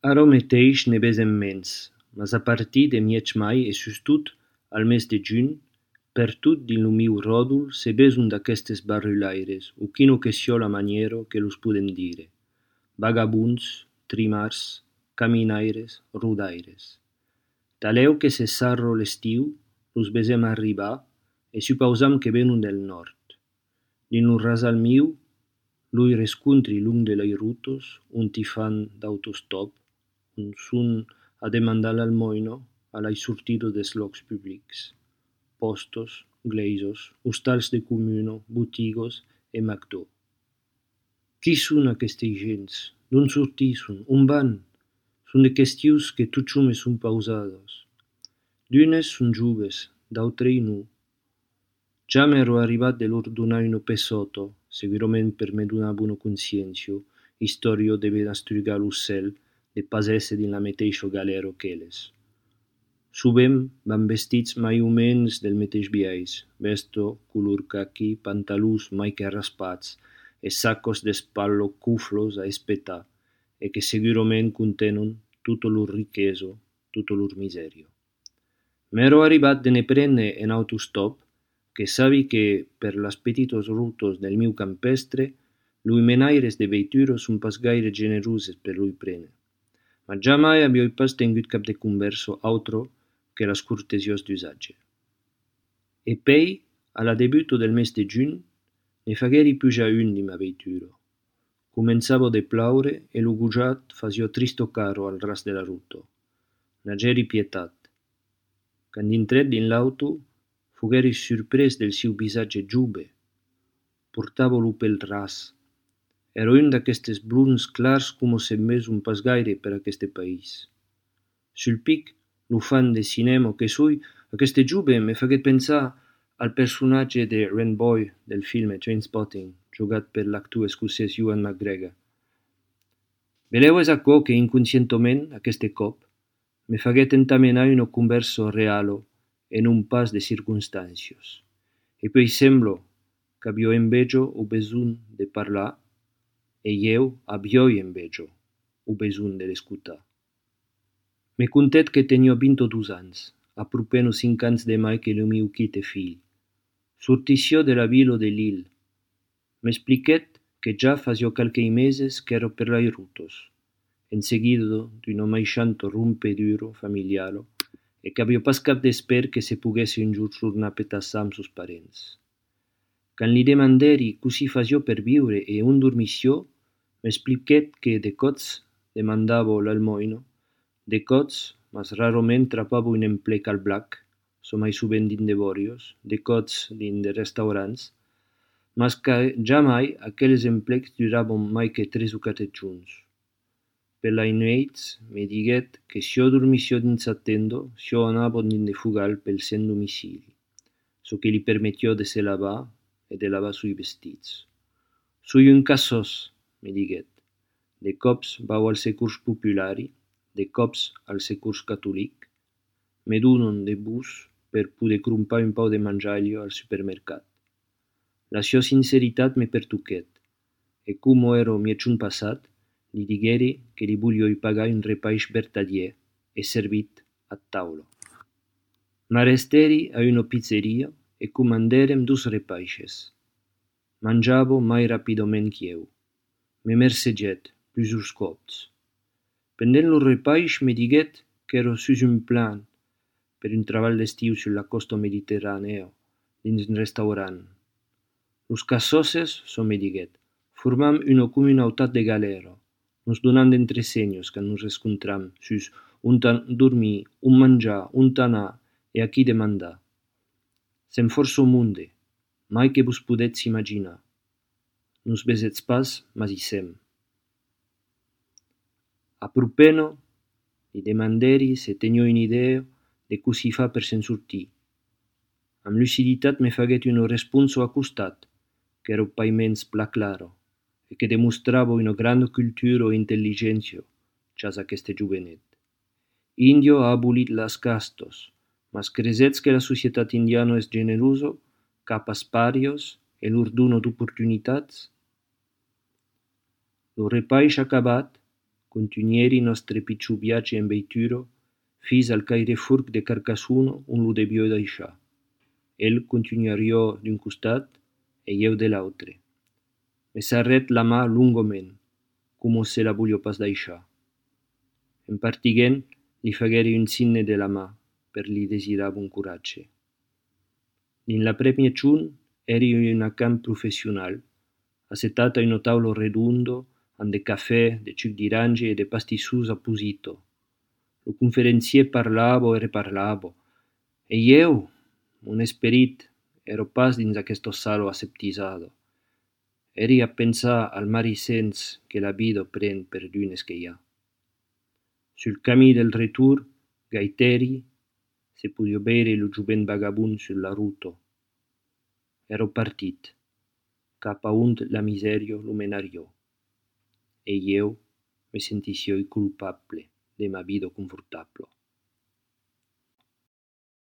Ara mateix ne besem mens, mas a partir de mièg mai e sustot al mes de junh, per tot din lo miu ròdol se beson d'aquestes barrulaires, o quino que sio la maniero que los podem dire. Vagabunds, trimars, caminaires, rodaires. Taleu que se sarro l'estiu, los besem arribar e supausam que venon del nord. Din lo rasal miu, lui rescontri long de lai rutos, unti fan d'autostop, un son a demandar l'almoino a l'ai sortido des locs publics. Postos, gleisos, ostals de communo, botigos e McDo. Qui son aquestes gents? D'on sortisson? On van? Son de questions que tot jo me son pausados. D'unes son joves, d'autres no. Ja m'ero arribat de lor donar uno pesotto, segurament per me donar bona consciencio, istorio de benastrugar lo cel, de pas esse din la meteixo galero qu'elles. Subem van vestits mai o mens del meteix biais, vesto color caqui, pantalús mai que raspats, e saccos d'espallo cuflos a espetar, e que segurament contenon tutto lor richeso, tutto lor miserio. M'ero arribat de ne prendre en autostop, que sabi que per las petitos rutos del miu campestre, lui menaires de veituros son pas gaire generuses per lui prene. Ma jamai avioi pas tengut cap de converso autro que las cortesios d'usatge. E pei, a la debuto del mes de junh, ne fagueri puja un di ma veituro. Comenzavo de plaure e lo gujat fasio tristo caro al ras de la ruto. N'ageri pietat. Quand intret din l'auto, fogueri surpres del siu visatge giube. Portavo lo pel ras. Ero un d'aquestes blonds clars como se meson pas gaire per aqueste país. Sul pic, lo fan de cinema que soi, aqueste giube me faguet pensar al personatge de Ren Boy del film Trainspotting, jugat per l'actor escocès Ewan McGregor. Veleu es aquò que inconscientoment, aqueste cop, me faguet entamenar uno converso realo e non pas de circunstancios. E poi semblo qu'aviò envejo o beson de parlar e eu aviò envejo o beson de l'escutar. Me contet que tenio 22 ans, apropeno 5 ans de mai que lo miu quite fill. Sortissió de la vilo de Lille. M'expliquet que ja fasio calquei meses qu'ero per lai rutos, enseguido d'uno maixanto rompeduro familiaro, e qu'avio pas cap d'esper que se poguesse un giur tornar a petassar amb sos parents. Quand li demanderi così fasio per viure e on dormissió, m'expliquet que de cots demandavo l'almoino, de cots, mas rarament trapavo un emplec al black, so mai sovent din de borios, de cots din de restaurants, mas que jamai aqueles emplecs duravon mai que 3 o 4 junts. Per lai nueits me diguet que sio dormissió dins sa tendo, sio anavo din de fugal pel sen domicili, so que li permettió de se lavar e de lavar sui vestits. Soi un cassos, me diguet. De cops vau al securs populari, de cops al securs catolic, me donon de bus per poder crompar un pau de mangiaglio al supermercat. La sua sinceritat me pertuquet, e como ero mieciun passat, li digueri que li voglioi pagar un repaix vertadier e servit a taulo. M'arresteri a una pizzeria e comanderem 2 repaixes. Mangiavo mai rapidoment chieu. Me merseget, plusurs cops. Pendent lo repaix me diguet qu'ero sus un plan per un treball d'estiu sur la costa mediterraneo, dins un restaurant. Los cassoses, so me diguet, formam una comunautat de galero, nos donam d'entre senyos quand nos rescontram sus on dormir, on manjar, on anar e a qui demandar. Sem força o munde, mai que vos podetz imaginar. Nos besetz pas, mas hi sem. Apropeno, li demanderi se tenio un'idea de così fa per se'n sortir. Amb luciditat me faguet uno responso acostat, qu'ero paiments pla claro, e che demostravo una grande cultura e intelligencio, chas aqueste juvenet. Indio ha abolit las castos, mas cresetz que la societat indiana es generoso, capas parios e lor dono d'opportunitats? Lo repaix acabat, continueri nostre picciu viatge en veituro, fis al Cairefurc de Carcassuno un lo debió deixar. El continuarió d'un costat e eu de l'autre. Me s'arret la mà lungoment, como se la voglio pas deixar. En partiguent, li fagueri un signe de la mà, per li desirar bon coratge. Din la premia ciun eri una camp professional, assetata in un taulo redondo, an de cafè, de ciuc d'iranje e de pastissus apposito. Lo conferenzier parlavo e reparlavo, e eu, mon esperit, ero pas dins aquesto salo aseptisado. Eri a pensar al marisens que la vida pren per dunes que hi ha. Sul camí del retur, gaiteri, se podio veire lo jovent vagabund sul la ruto. Ero partit, cap a ont la miserio lo menariò, e eu me sentissi culpable de ma vida confortablo.